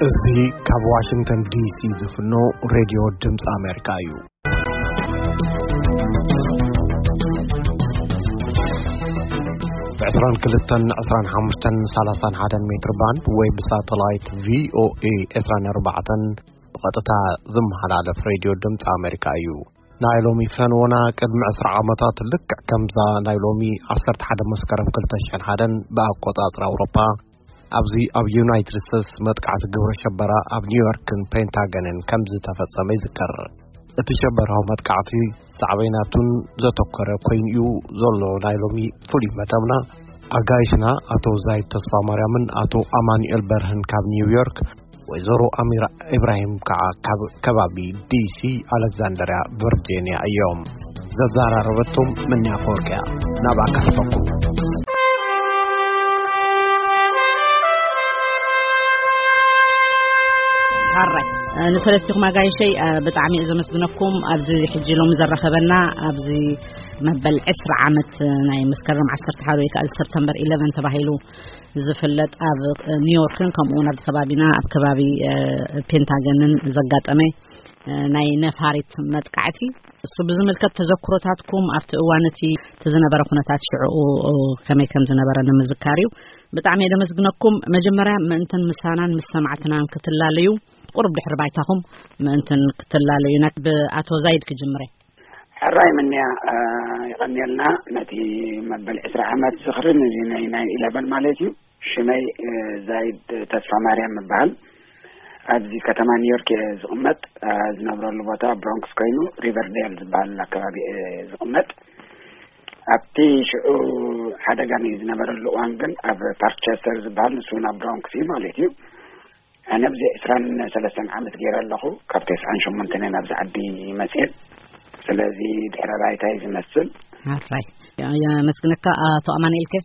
እዚ ካብ ዋሽንግተን ዲሲ ዝፍኖ ሬድዮ ድምፂ ኣሜሪካ እዩ። ብ ዕስራን ክልተን፣ ዕስራን ሓሙሽተን፣ ሰላሳን ሓደን ሜትር ባንድ ወይ ብሳተላይት ቪ ኦ ኤ ዕስራን ኣርባዕተን ብቐጥታ ዝመሓላለፍ ሬድዮ ድምፂ ኣሜሪካ እዩ። ናይ ሎሚ ፈንወና ቅድሚ ዕስራ ዓመታት ልክዕ ከምዛ ናይ ሎሚ ዓሰርተ ሓደ መስከረም ክልተ ሽሕን ሓደን ብኣቆጻጽራ ኣውሮፓ ኣብዚ ኣብ ዩናይትድ ስቴትስ መጥቃዕቲ ግብረ ሸበራ ኣብ ኒውዮርክን ፔንታገንን ከም ዝተፈጸመ ይዝከር። እቲ ሸበራዊ መጥቃዕቲ ሳዕቤናቱን ዘተኮረ ኮይኑ እዩ ዘሎ ናይ ሎሚ ፍሉይ መደብና። ኣጋይሽና ኣቶ ዛይድ ተስፋ ማርያምን ኣቶ ኣማኑኤል በርህን ካብ ኒውዮርክ፣ ወይዘሮ ኣሚራ ኢብራሂም ከዓ ካብ ከባቢ ዲሲ ኣሌክዛንደርያ ቨርጂንያ እዮም። ዘዘራረበቶም ምንያ ፈወርቅያ። ናብኣ ካሕፈኩም። ሃራይ ንሰለስቲኹም ኣጋይሸይ ብጣዕሚ እየ ዘመስግነኩም። ኣብዚ ሕጂ ሎሚ ዘራኸበና ኣብዚ መበል ዕስራ ዓመት ናይ መስከረም ዓሰርተ ሓደ ወይ ከዓ ሰፕተምበር ኢለቨን ተባሂሉ ዝፍለጥ ኣብ ኒውዮርክን ከምኡ እውን ኣብዚ ከባቢና ኣብ ከባቢ ፔንታገንን ዘጋጠመ ናይ ነፋሪት መጥቃዕቲ፣ እሱ ብዝምልከት ተዘክሮታትኩም ኣብቲ እዋን እቲ እቲ ዝነበረ ኩነታት ሽዕኡ ከመይ ከም ዝነበረ ንምዝካር እዩ። ብጣዕሚ እየ ደመስግነኩም። መጀመርያ ምእንትን ምሳናን ምስ ሰማዕትናን ክትላለዩ፣ ቁሩብ ድሕሪ ባይታኹም ምእንትን ክትላለዩና፣ ብኣቶ ዛይድ ክጅምረ። ሕራይ ምንያ፣ እ፣ ይቐንየልና ነቲ መበል ዕስራ ዓመት ዝኽርን እዚ ናይ ናይን ኢለቨን ማለት እዩ። ሽመይ፣ እ፣ ዛይድ ተስፋ ማርያም እበሃል። ኣብዚ ከተማ ኒውዮርክ እየ ዝቕመጥ። እ፣ ዝነብረሉ ቦታ ብሮንክስ ኮይኑ ሪቨርዴል ዝበሃል ኣከባቢ እየ ዝቕመጥ። ኣብቲ ሽዑ ሓደጋ ናይ ዝነበረሉ እዋን ግን ኣብ ፓርክቸስተር ዝበሃል ንሱ ናብ ብሮንክስ እዩ ማለት እዩ። ኣነ ኣብዚ ዕስራን ሰለስተን ዓመት ገይረ ኣለኹ። ካብ ተስዓን ሸሞንተን እየ ናብዚ ዓዲ መፅኤ። ስለዚ ድሕረ ባይታይ ዝመስል። ኣራይ የመስግነካ። ኣቶ ኣማኑኤል ከ?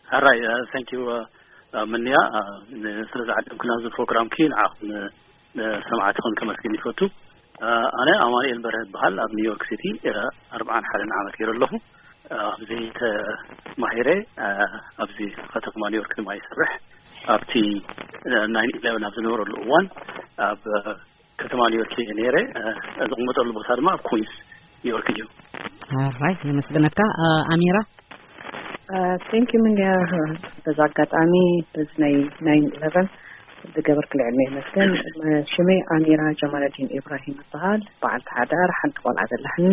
ኣራይ፣ እ፣ thank you፣ እ፣ እ፣ ምንያ፣ እ፣ ን-፣ ስለ ዝዓደምክና እዚ ፕሮግራምኪ ንዓኹም ን-፣ ንሰማዕትኹም ከመስግን ይፈቱ። እ፣ ኣነ ኣማኑኤል በርሀ እበሃል። ኣብ ኒውዮርክ ሲቲ፣ እ፣ ኣርብዓን ሓደን ዓመት ገይረ ኣለኹ። እ፣ ኣብዚ ተማሂረ፣ እ፣ ኣብዚ ከተማ ኒውዮርክ ድማ ይሰርሕ። ኣብቲ፣ እ፣ ናይን ኢለቨን ኣብ ዝነበረሉ እዋን ኣብ፣ እ፣ ከተማ ኒውዮርክ እየ ነይረ። እ፣ ዝቕመጠሉ ቦታ ድማ ኣብ ኩዊንስ ኒውዮርክ እዩ። ኣራይ፣ የመስግነካ። እ፣ ኣሚራ? እ፣ thank you ምንያ። በዚ ኣጋጣሚ በዚ ናይ ናይን ኢለቨን ዝገበርክልዕልና የመስገን። ሽመይ ኣሚራ ጀማለዲን ኢብራሂም ይበሃል። በዓልቲ ሓዳር፣ ሓንቲ ቆልዓ ዘለኒ።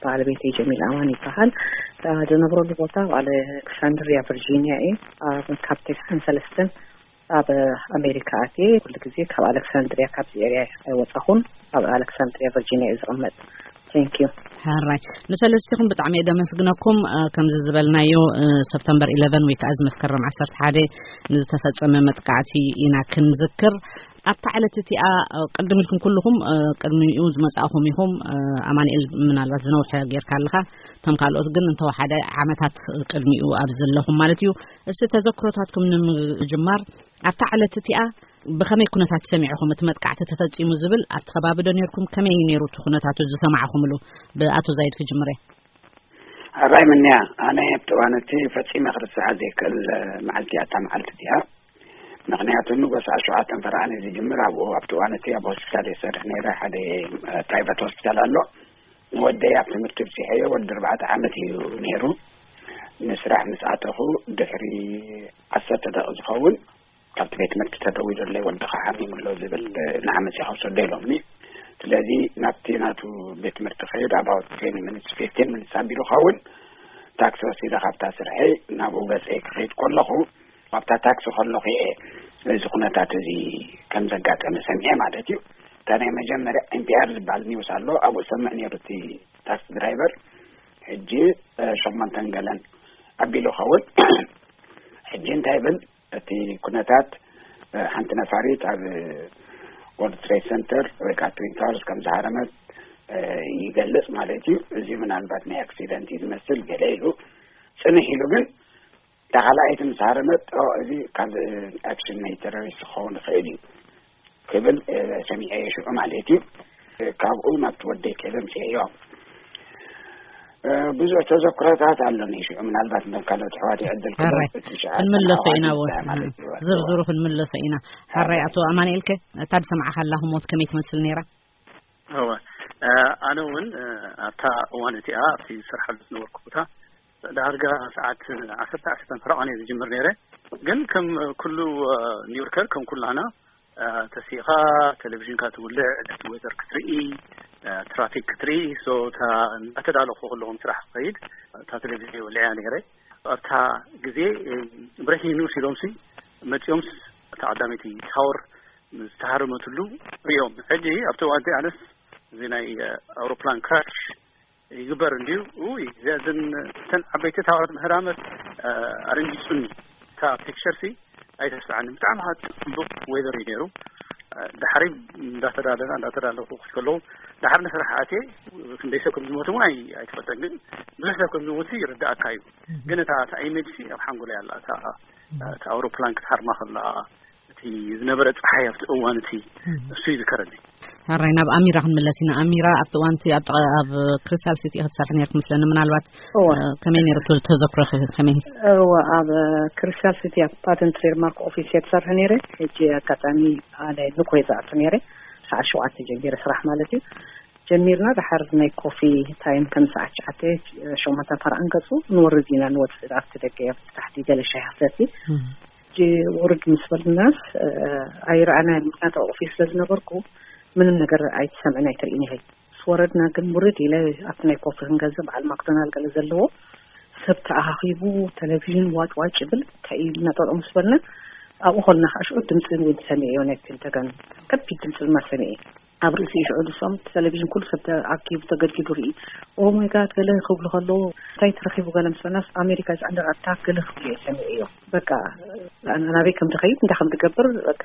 ባለቤተይ ጀሚል ኣማን ይበሃል። እ፣ ዝነብረሉ ቦታ ኣብ ኣሌክሳንድሪያ ቨርጂኒያ እየ። ኣብ ካብ ተስዓን ሰለስተን ኣብ ኣሜሪካ ኣትየ። ኩሉ ግዜ ካብ ኣሌክሳንድሪያ፣ ካብዚ ኤርያ ኣይወፃኹን። ኣብ ኣሌክሳንድሪያ ቨርጂኒያ እየ ዝቕመጥ። Thank you። ሕራይ ንሰለስቲኹም ብጣዕሚ እየ ደመስግነኩም። እ፣ ከምዚ ዝበልናዮ፣ እ፣ ሰፕተምበር ኢለቨን ወይ ከዓ እዚ መስከረም ዓሰርተ ሓደ ንዝተፈጸመ መጥቃዕቲ ኢና ክንዝክር። ኣብታ ዕለት እቲኣ፣ እ፣ ቅድም ኢልኩም ኩልኹም፣ እ፣ ቅድሚኡ ዝመጻእኹም ኢኹም። እ፣ ኣማኑኤል ምናልባት ዝነውሐ ጌርካ ኣለኻ፣ እቶም ካልኦት ግን እንተወሓደ ዓመታት ቅድሚኡ ኣብ ዘለኹም ማለት እዩ። እስቲ ተዘክሮታትኩም ንምጅማር ኣብታ ዕለት እቲኣ ብኸመይ ኩነታት ሰሚዕኹም እቲ መጥቃዕቲ ተፈጺሙ ዝብል ኣብቲ ከባቢ ዶ ነርኩም? ከመይ እዩ ነይሩ እቲ ኩነታት ዝሰማዕኹምሉ? ብኣቶ ዛይድ ክጅምር እየ። ኣባይ ምንያ፣ ኣነ ኣብቲ እዋን እቲ ፈጺመ ክርስዓ ዘይክእል መዓልቲ እያ እታ መዓልቲ እቲኣ። ምኽንያቱ ንጎስ ሸውዓተን ፈረቓ እዩ ዝጅምር። ኣብኡ ኣብቲ እዋን እቲ ኣብ ሆስፒታል እየ ዝሰርሕ ነይረ። ሓደ ፕራይቬት ሆስፒታል ኣሎ። ንወደይ ኣብ ትምህርቲ ብፂሐዮ ወዲ ኣርባዕተ ዓመት እዩ ነይሩ። ንስራሕ ምስ ኣተኹ ድሕሪ ዓሰርተ ደቂቕ ዝኸውን ካብቲ ቤት ትምህርቲ ተደዊሉለይ፣ "ወድኻ ሓሚሙ ኣሎ" ዝብል፣ "ንዓ መፂኻ ውሰዶ" ኢሎምኒ። ስለዚ ናብቲ ናቱ ቤት ትምህርቲ ከይድ about twenty minutes፣ fifteen minutes ኣቢሉ ኸውን ታክሲ ወሲደ ካብታ ስርሐይ ናብኡ ገፀይ ክኸይድ ከለኹ፣ ኣብታ ታክሲ ከለኹ እየ እዚ ኩነታት እዚ ከም ዘጋጠመ ሰሚዐ ማለት እዩ። እታ ናይ መጀመርያ ኤን ፒ ኣር ዝበሃል ኒውስ ኣሎ፣ ኣብኡ ሰምዕ ነይሩ እቲ ታክሲ ድራይቨር። ሕጂ፣ እ፣ ሸሞንተን ገለን ኣቢሉ ኸውን። ሕጂ እንታይ ብል፣ እቲ ኩነታት፣ እ፣ ሓንቲ ነፋሪት ኣብ ወርልድ ትሬድ ሰንተር ወይ ከዓ ትዊን ታወርስ ከም ዝሃረመት፣ እ፣ ይገልጽ ማለት እዩ። እዚ ምናልባት ናይ ኣክሲደንት እዩ ዝመስል ገለ ኢሉ ጽንሕ ኢሉ፣ ግን እታ ካልኣይቲ ምስ ሃረመት፣ "ኦ፣ እዚ ካብ፣ እ፣ ኣክሽን ናይ ቴሮሪስት ክኸውን ይኽእል እዩ" ክብል፣ እ፣ ሰሚዐ ሽዑ ማለት እዩ። ካብኡ ናብቲ ወደይ ከይደ ኣምፅኤዮ። ብዙሕ ተዘክሮታት ኣለኒ። ሽዑ ምናልባት ከም ካልኦት ኣሕዋት ዕድል ክህብ ሕራይ እቲ ሸዓ ክንምለሶ ኢና። ዓዋዲ እውን ማለት እዩ። ዝርዝሩ ክንምለሶ ኢና። ሕራይ ኣቶ ኣማንኤልከ፣ እታ ዝሰማዕካ ኣላ ህሞት ከመይ ትመስል ነይራ? እወ፣ ኣነ እውን ኣብታ እዋን እቲኣ ኣብቲ ዝሰርሓሉ ዝነበርኩ ቦታ ዳርጋ ሰዓት ዓሰርተ ዓሰርተ ፈረቓ እየ ዝጅምር ነይረ። ግን ከም ኩሉ ኒውዮርከር፣ ከም ኩላና፣ ተሲኻ ቴሌቪዥንካ ትውልዕ፣ እቲ ዌዘር ክትርኢ፣ ትራፊክ ክትርኢ። ሶ እታ እንዳተዳለኹ ከለኹ ስራሕ ክኸይድ እታ ቴሌቪዥን ወሊዐያ ነይረ። ኣብታ ግዜ ብሬኪንግ ኒውስ ኢሎምሲ መፂኦምስ እታ ቀዳመይቲ ታወር ዝተሃረመትሉ ሪኦም። ሕጂ ኣብቲ እዋን ኣነስ እዚ ናይ ኣውሮፕላን ክራሽ ይግበር እንድዩ። ውይ፣ እዘን እተን ዓበይቲ ታወራት ምህራመት ኣረንጊጹኒ። እታ ፒክቸር ሲ ኣይተስዓኒ። ብጣዕሚ ከዓ ጽቡቅ ዌዘር እዩ ነይሩ። ድሓሪ እንዳተዳለና እንዳተዳለኹ ክከለዉ ድሓር ንስራሕ ኣትየ ክንደይ ሰብ ከም ዝሞት እውን ኣይ- ኣይትፈልጠን፣ ግን ብዙሕ ሰብ ከም ዝሞት ይርዳእካ እዩ። ግን እታ እታ ኢሜጅ ሲ ኣብ ሓንጎለይ ኣላ። እታ እታ ኣውሮፕላን ክትሃርማ ከላ እቲ ዝነበረ ጸሓይ ኣብቲ እዋን እቲ እሱ ይዝከረኒ። ሕራይ ናብ ኣሚራ ክንምለስ ኢና። ኣሚራ ኣብቲ እዋን እቲ ኣብ ጥቓ- ኣብ ክሪስታል ሲቲ ክትሰርሕ ነርክ ምስለኒ። ምናልባት እወ። ከመይ ነይሩ ተ- ተዘክሮኺ ከመይ? እወ፣ ኣብ ክሪስታል ሲቲ ኣብ ፓተንት ትሬድማርክ ኦፊስ እየ ትሰርሕ ነይረ። ሕጂ ኣጋጣሚ ኣነ ንኮይ ዝኣቱ ነይረ። ሰዓት ሸውዓተ ጀሚረ ስራሕ ማለት እዩ። ጀሚርና ድሓር ናይ ኮፊ ታይም ከም ሰዓት ትሽዓተ ሸሞንተ ፓር ኣንገጹ ንወርድ ኢና ንወጽእ ኣብቲ ደገ ኣብቲ ታሕቲ ገለ ሻሂ ክሰቲ። ሕጂ ውርድ ምስ በልናስ ኣይረኣናን። ምክንያቱ ኣብ ኦፊስ ስለ ዝነበርኩ ምንም ነገር ኣይትሰምዕን ኣይትርእን ኢኺ። ምስ ወረድና ግን ውርድ ኢለ ኣብቲ ናይ ኮፊ ክንገዝእ በዓል ማክዶናል ገለ ዘለዎ ሰብ ተኣኻኺቡ ቴሌቪዥን ዋጭ ዋጭ ይብል። እንታይ እዩ ኢልና ጠጠው ምስ በልና ኣብኡ ከልና ከዓ ሽዑ ድምፂ እውን ሰሚዐዮ ናይ ፔንታገን ከቢድ ድምፂ ድማ ሰሚዐ። ኣብ ርእሲ ሽዑ ንሶም ቴሌቪዥን ኩሉ ሰብ ተኣኪቡ ተገድጊዱ ርኢ። ኦ ማይ ጋድ ገለ ክብሉ ከለዉ እንታይ ተረኺቡ ገለ ምስ በልናስ ኣሜሪካ ዝኣንደር ኣታክ ገለ ክብሉ እየ ሰሚዐዮ። በቃ ኣነ ናበይ ከም ትኸይድ እንታይ ከም ትገብር በቃ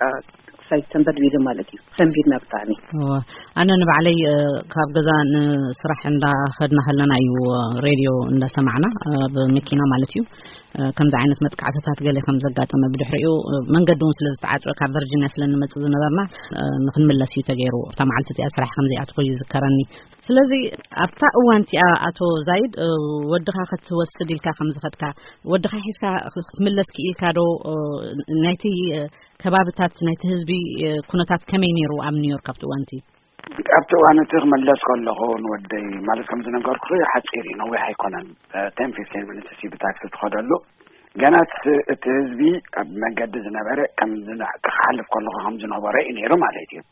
ሳይድ ተንበድቢሉ ማለት እዩ። ሰንቢድና ብጣዕሚ። እወ፣ ኣነ ንባዕለይ እ፣ ካብ ገዛ ንስራሕ እንዳኸድና ከለና እዩ እ፣ ሬድዮ እንዳሰማዕና እ፣ ኣብ መኪና ማለት እዩ እ፣ ከምዚ ዓይነት መጥቃዕትታት ገለ ከም ዘጋጠመ ብድሕሪኡ እ፣ መንገዲ እውን ስለ ዝተዓፅወ ካብ ቨርጂኒያ ስለ ንመፅእ ዝነበርና እ፣ ንክንምለስ እዩ ተገይሩ። ኣብታ መዓልቲ እቲኣ ስራሕ ከም ዘይኣትኹ ይዝከረኒ። ስለዚ ኣብታ እዋን እቲኣ ኣቶ ዛይድ እ፣ ወድኻ ክትወስድ ኢልካ ከም ዝኸድካ ወድኻ ሒዝካ ክትምለስ ክኢልካ ዶ እ፣ ናይቲ እ፣ ከባብታት ናይቲ ህዝቢ እ፣ ኩነታት ከመይ ነይሩ ኣብ ኒውዮርክ ኣብቲ እዋን እቲ? ኣብቲ እዋን እቲ ክምለስ ከለኹ ንወደይ ማለት ከም ዝነገርኩ ሓፂር እዩ፣ ነዊሕ ኣይኮነን። ቴን ፊፍቲን ሚኒትስ እዩ ብታክሲ ትኸደሉ። ገና እቲ እቲ ህዝቢ ኣብ መገዲ ዝነበረ ከም ዝነ- ክሓልፍ ከለኹ ከም ዝነበረ እዩ ነይሩ ማለት እዩ።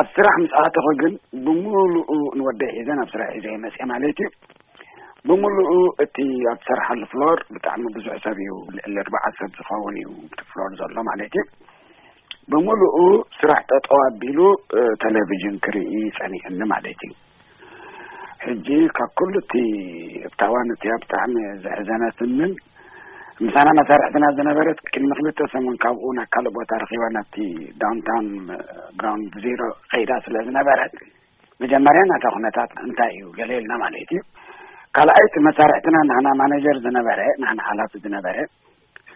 ኣብ ስራሕ ምስ ኣተኹ ግን ብምሉኡ ንወደይ ሒዘ ናብ ስራሕ ሒዘ ይመፅእ ማለት እዩ። ብምሉኡ እቲ ኣብ ትሰርሓሉ ፍሎር ብጣዕሚ ብዙሕ ሰብ እዩ፣ ልዕሊ ኣርባዓ ሰብ ዝኸውን እዩ እቲ ፍሎር ዘሎ ማለት እዩ። ብምሉኡ ስራሕ ጠጠው ኣቢሉ እ፣ ቴሌቪዥን ክርኢ ጸኒሕኒ ማለት እዩ። ሕጂ ካብ ኩሉ እቲ ኣብታ እዋን እቲኣ ብጣዕሚ ዘሕዘነትንን ምሳና መሳርሕትና ዝነበረት ቅድሚ ክልተ ሰሙን ካብኡ ናብ ካልእ ቦታ ረኺባ ናብቲ ዳውንታውን እ፣ ግራውንድ ዜሮ ከይዳ ስለ ዝነበረት መጀመርያ ናታ ኩነታት እንታይ እዩ ገለ ኢልና ማለት እዩ። ካልኣይ እቲ መሳርሕትና ናህና ማኔጀር ዝነበረ ናህና ሓላፊ ዝነበረ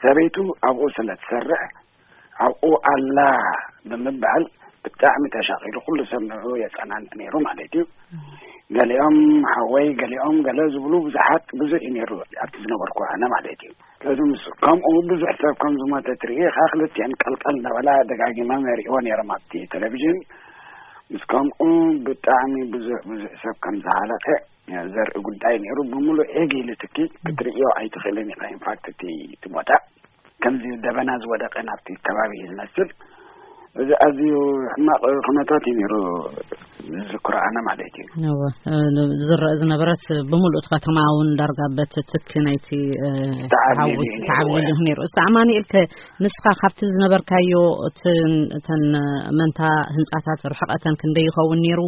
ሰበይቱ ኣብኡ ስለ ትሰርሕ ኣብኡ ኣላ ብምባል ብጣዕሚ ተሻቒሉ ኩሉ ሰብ ንዕኡ የጸናንዕ ነይሩ ማለት እዩ። ገሊኦም ሓወይ ገሊኦም ገለ ዝብሉ ብዙሓት ብዙሕ እዩ ነይሩ ኣብቲ ዝነበርኩ ኣነ ማለት እዩ። ስለዚ ምስ ከምኡ ብዙሕ ሰብ ከም ዝሞተ ትርኢ ከዓ ክልቲአን ቀልቀል እናበላ ደጋጊሞም የርእይዎ ነይሮም ኣብቲ ቴሌቪዥን። ምስ ከምኡ ብጣዕሚ ብዙሕ ብዙሕ ሰብ ከም ዝሃለቀ ዘርኢ ጉዳይ ነይሩ። ብምሉእ ዒግ ኢሉ ትኪ ክትርእዮ ኣይትኽእልን ኢኻ። ኢንፋክት እቲ እቲ ቦታ ከምዚ ደበና ዝወደቀ ናብቲ ከባቢ እዩ ዝመስል። እዚ ኣዝዩ ሕማቕ ኩነታት እዩ ነይሩ ዝዝክሮ ኣነ ማለት እዩ። እወ፣ እ፣ ዝረአ ዝነበረት ብምሉእ እቲ ከተማ እውን ዳርጋ በቲ ትኪ ናይቲ እ፣ ተዓብሊሉ ሓዊ እዩ ነይሩ። ተዓብሊሉ እዩ ነይሩ። እስቲ ኣማኑኤል ከ ንስኻ ካብቲ ዝነበርካዮ እቲ እተን መንታ ህንጻታት ርሕቐተን ክንደይ ይኸውን ነይሩ?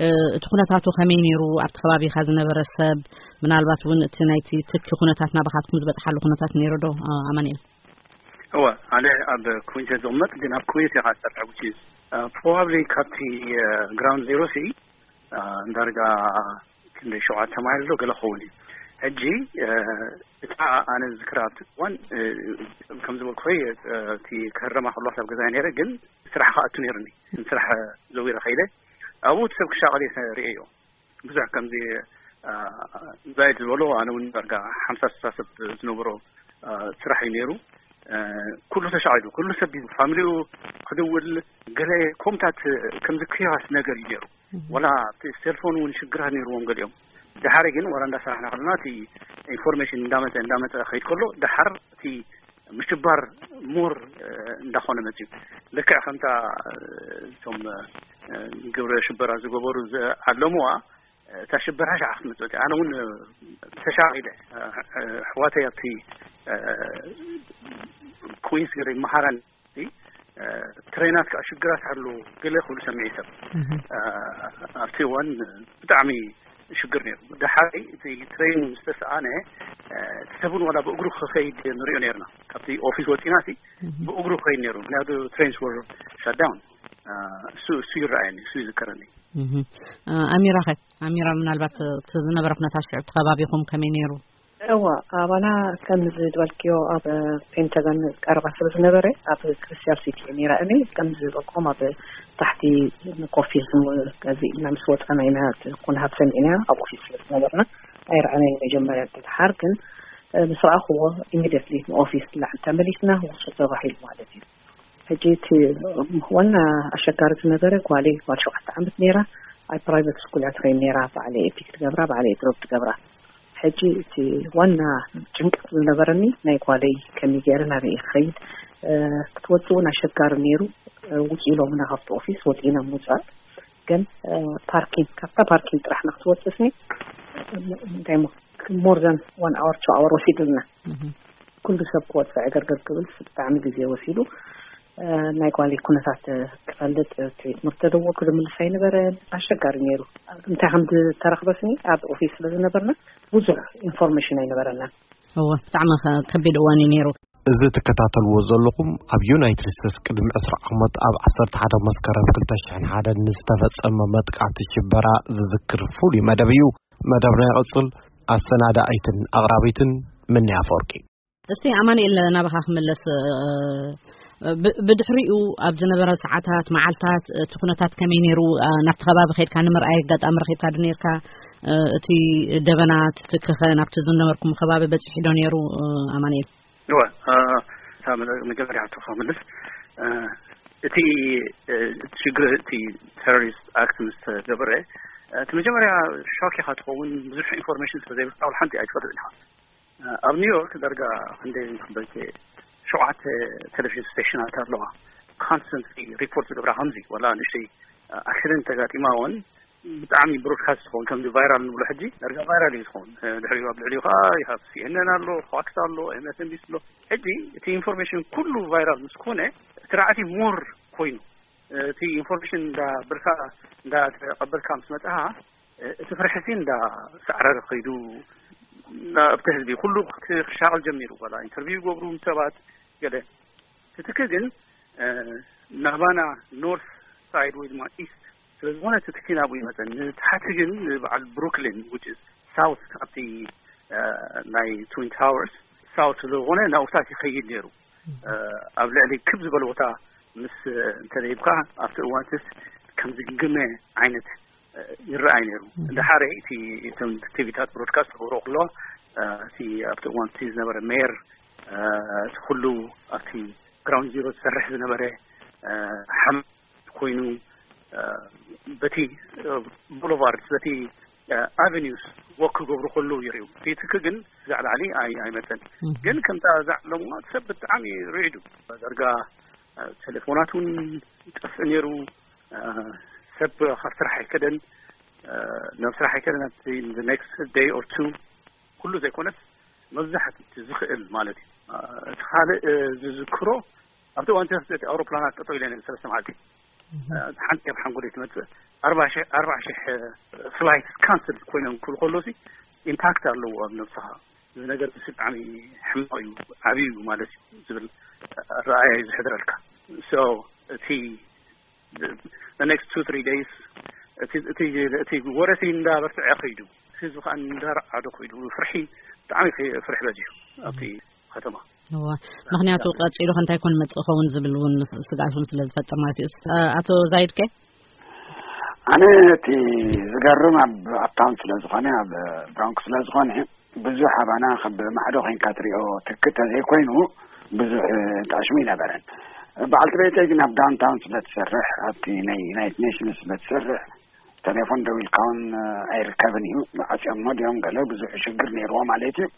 እ፣ እቲ ኩነታቱ ከመይ ነይሩ? ኣብቲ ከባቢኻ ዝነበረ ሰብ ምናልባት እውን እቲ ናይቲ ትኪ ኩነታት ናባኻትኩም ዝበጽሓሉ ኩነታት ነይሩ ዶ እ፣ ኣማኑኤል? እወ፣ ኣነ ኣብ ኩዊንስ እየ ዝቕመጥ፣ ግን ኣብ ኩዊንስ እየ ዝሰርሕ፣ which is probably ካብቲ ግራውንድ ዜሮ ሲ ዳርጋ ክንደይ ሸውዓተ ማይል ዶ ገለ ክኸውን እዩ። ሕጂ እታ ኣነ ዝዝክራ ኣብቲ እዋን ከም ዝበልኩኸይ እቲ ክህረማ ከለዋ ኣብ ገዛ ነይረ፣ ግን ስራሕ ክኣቱ ነይሩኒ። ስራሕ ዘዊረ ከይደ ኣብኡ እቲ ሰብ ክሻቐል እየ ርእየዮ። ብዙሕ ከምዚ ዛይድ ዝበሎ ኣነ እውን ዳርጋ ሓምሳ ስሳ ሰብ ዝነበሮ ስራሕ እዩ ነይሩ። ኩሉ ተሻዒሉ፣ ኩሉ ሰብ ፋሚሊኡ ክድውል፣ ገለ ኮምታት ከምዚ ክያስ ነገር እዩ ነይሩ። ወላ እቲ ሴልፎን እውን ሽግራት ነይርዎም ገሊኦም። ድሓር ግን ወላ እንዳሰራሕና ከለና እቲ ኢንፎርሜሽን እንዳመፀ እንዳመፀ ከይድ ከሎ ድሓር እቲ ምሽባር ሞር እንዳኾነ መፅዩ። ልክዕ ከምታ እቶም ግብረ ሽበራ ዝገበሩ ዝዓለሙዋ እታ ሽበራ ሻዕ ክትመፅእ እያ። ኣነ እውን ተሻቒለ። ኣሕዋተይ ኣብቲ ኩንስ ገለ ይመሃራን ትሬናት ከዓ ሽግራት ኣሎ ገለ ክብሉ ሰሚዒ ሰብ ኣብቲ እዋን ብጣዕሚ ሽግር ነይሩ። ደሓሪ እቲ ትሬን ዝተሰኣነ እቲ ሰብን ዋላ ብእግሩ ክኸይድ ንሪኦ ነርና። ካብቲ ኦፊስ ወፂና ሲ ብእግሩ ክኸይድ ነይሩ፣ ምክንያቱ ትሬንስ ወር ሻዳውን። እሱ እሱ ይረኣየኒ፣ እሱ ይዝከረኒ። ኣሚራ ኸ? ኣሚራ ምናልባት እቲ ዝነበረ ኩነታት ሽዑ እቲ ከባቢኹም ከመይ ነይሩ? እዋ፣ ኣባና ከም ዝበልክዮ ኣብ ፔንታገን ቀረባ ስለ ዝነበረ ኣብ ክሪስታል ሲቲ ነይራ እኔ። ከም ዝበልኩም ኣብ ታሕቲ ኮፊ ገዚእና ምስ ወፃና ኢና ኩነታት ሰሚዕና። ኣብ ኦፊስ ስለ ዝነበርና ኣይረኣናይ መጀመርያ። ድሓር ግን ምስ ረኣኽዎ ኢሚዲየትሊ ንኦፊስ ላዕሊ ተመሊስና ውፁ ተባሂሉ ማለት እዩ። ሕጂ እቲ ዋና ኣሸጋሪ ዝነበረ ጓለይ ጓል ሸውዓተ ዓመት ነይራ። ኣብ ፕራይቨት ስኩል እያ ትኸይድ ነይራ። ባዕለይ ፒክ ትገብራ፣ ባዕለይ ድሮፕ ትገብራ። ሕጂ እቲ ዋና ጭንቀት ዝነበረኒ ናይ ጓለይ ከመይ ገይረ ናበይ ክኸይድ ክትወፅእ እውን ኣሸጋሪ ነይሩ። ውፅ ኢሎምና ካብቲ ኦፊስ ወፂእና ምውፃእ ግን ፓርኪንግ ካብታ ፓርኪንግ ጥራሕ ንክትወፅእስኒ እንታይ ሞ ሞር ዘን ዋን ኣወር ቱ ኣወር ወሲዱልና። ኩሉ ሰብ ክወፅዕ ዕገርገር ክብል ብጣዕሚ ግዜ ወሲዱ። ናይ ጓለይ ኩነታት ክፈልጥ ትምህርቲ ተደወልኩ ዝምልስ ኣይነበረን። ኣሸጋሪ ነይሩ። እንታይ ከም ዝተረኽበስኒ ኣብ ኦፊስ ስለ ዝነበርና ብዙሕ ኢንፎርሜሽን ኣይነበረናን። እወ ብጣዕሚ ከቢድ እዋን እዩ ነይሩ። እዚ ትከታተልዎ ዘለኹም ኣብ ዩናይትድ ስቴትስ ቅድሚ ዕስራ ዓመት ኣብ ዓሰርተ ሓደ መስከረም ክልተ ሽሕን ሓደን ንዝተፈጸመ መጥቃዕቲ ሽበራ ዝዝክር ፍሉይ መደብ እዩ። መደብና ይቕጽል። ኣሰናዳኢትን ኣቕራቢትን ምንያ ኣፈወርቂ። እስቲ ኣማኑኤል ናባኻ ክምለስ። ብድሕሪኡ ኣብ ዝነበረ ሰዓታት መዓልታት እቲ ኩነታት ከመይ ነይሩ? ናብቲ ከባቢ ከድካ ንምርኣይ ኣጋጣሚ ረኺብካ ዶ ነርካ? እቲ ደበና ትትክኸ ናብቲ ዝነበርኩም ከባቢ በፂሑ ዶ ነይሩ? ኣማኑኤል እወ። እታ መጀመርያ ሕቶ ክምልስ፣ እቲ ሽግር እቲ ቴሮሪስት ኣክት ምስ ተገበረ እቲ መጀመርያ ሾክ ኢኻ ትኸውን። ብዙሕ ኢንፎርሜሽን ስለ ዘይብልካ ሓንቲ ኣይትፈልጥን ኢኻ። ኣብ ኒውዮርክ ዳርጋ ክንደይ ክበልከ ሸውዓተ ቴሌቪዥን ስቴሽናት ኣለዋ። ኮንስተንትሊ ሪፖርት ዝገብራ ከምዚ ዋላ ንእሽተይ ኣክሲደንት ተጋጢማ እውን ብጣዕሚ ብሮድካስት ዝኸውን ከምዚ ቫይራል ንብሎ ሕጂ ዳርጋ ቫይራል እዩ ዝኸውን። ድሕሪኡ ኣብ ልዕሊኡ ከዓ ይሃብ ሲኤንኤን ኣሎ፣ ፎክስ ኣሎ፣ ኤምኤስኤንቢሲ ኣሎ። ሕጂ እቲ ኢንፎርሜሽን ኩሉ ቫይራል ምስ ኮነ እቲ ራዕቲ ሞር ኮይኑ እቲ ኢንፎርሜሽን እንዳበልካ እንዳተቐበልካ ምስ መፅኻ እቲ ፍርሒ ሲ እንዳሳዕረረ ከይዱ ናብቲ ህዝቢ ኩሉ ክሻቐል ጀሚሩ። ዋላ ኢንተርቪው ይገብሩ ምስ ሰባት ገለ ትትኪ ግን ናባና ኖርት ሳይድ ወይ ድማ ኢስት ስለ ዝኾነ ትትኪ ናብኡ ይመፀን። ንታሕቲ ግን ንበዓል ብሩክሊን which is ሳውት ኣብቲ ናይ ትዊን ታወርስ ሳውት ስለ ዝኾነ ናብኡታት ይኸይድ ነይሩ። ኣብ ልዕሊ ክብ ዝበለ ቦታ ምስ እንተደይብካ ኣብቲ እዋንትስ ከም ዝግመ ዓይነት ይረኣይ ነይሩ። እንድሓረ እቲ እቶም ቲቪታት ብሮድካስት ክገብሮ ከሎ እቲ ኣብቲ እዋን እቲ ዝነበረ ሜየር እቲ ኩሉ ኣብቲ ግራውንድ ዚሮ ዝሰርሕ ዝነበረ ሓም ኮይኑ በቲ ቦሎቫርድ በቲ ኣቨኒውስ ወክ ክገብሩ ከለዉ ይርእዩ። እቲ ትኪ ግን ክሳዕ ላዕሊ ኣይመፀን። ግን ከምታ ዝዓለምዋ ሰብ ብጣዕሚ ርዒዱ። ዳርጋ ቴሌፎናት እውን ይጠፍእ ነይሩ። ሰብ ካብ ስራሕ ኣይከደን፣ ናብ ስራሕ ኣይከደን። ኣብቲ ኔክስት ደይ ኦር ቱ ኩሉ ዘይኮነስ መብዛሕትኡ እቲ ዝኽእል ማለት እዩ። እቲ ካልእ ዝዝክሮ ኣብቲ እዋን እቲ ኣውሮፕላናት ጠጠው ኢለን ሰለስተ መዓልቲ ሓንቲ ኣብ ሓንጎለይ ትመፅእ ኣርባዓ ሺሕ ኣርባዓ ሺሕ ፍላይት ካንስል ኮይኖም ክብሉ ከለሲ ኢምፓክት ኣለዎ ኣብ ነብስኻ። እዚ ነገር እዚ ብጣዕሚ ሕማቕ እዩ፣ ዓብዩ እዩ ማለት እዩ ዝብል ረኣያ እዩ ዝሕድረልካ። ሶ እቲ the next two three days እቲ እቲ እቲ ወረሲ እንዳበርትዐ ከይዱ ህዝቢ ከዓ እንዳረዓዶ ከይዱ ፍርሒ ብጣዕሚ ፍርሒ በዚሑ ኣብቲ ከተማ። እዋ ምክንያቱ ቀፂሉ ከንታይ ኮን መፅእ ኸውን ዝብል እውን ስግኣት እውን ስለ ዝፈጥር ማለት እዩ። ኣቶ ዛይድ ከ? ኣነ እቲ ዝገርም ኣብ ኣፕታውን ስለ ዝኾነ፣ ኣብ ብሮንክስ ስለ ዝኾነ፣ ብዙሕ ኣባና ካብ ማዕዶ ኮይንካ ትሪኦ ትክ ተዘይኮይኑ ብዙሕ ጣዕሚ ይነበረን። በዓልቲ ቤተይ ግን ኣብ ዳውንታውን ስለ ትሰርሕ፣ ኣብቲ ናይ ዩናይትድ ኔሽንስ ስለ ትሰርሕ፣ ቴሌፎን ደዊልካ እውን ኣይርከብን እዩ። ዓፅዮሞ ድዮም ገለ ብዙሕ ሽግር ነይርዎ ማለት እዩ።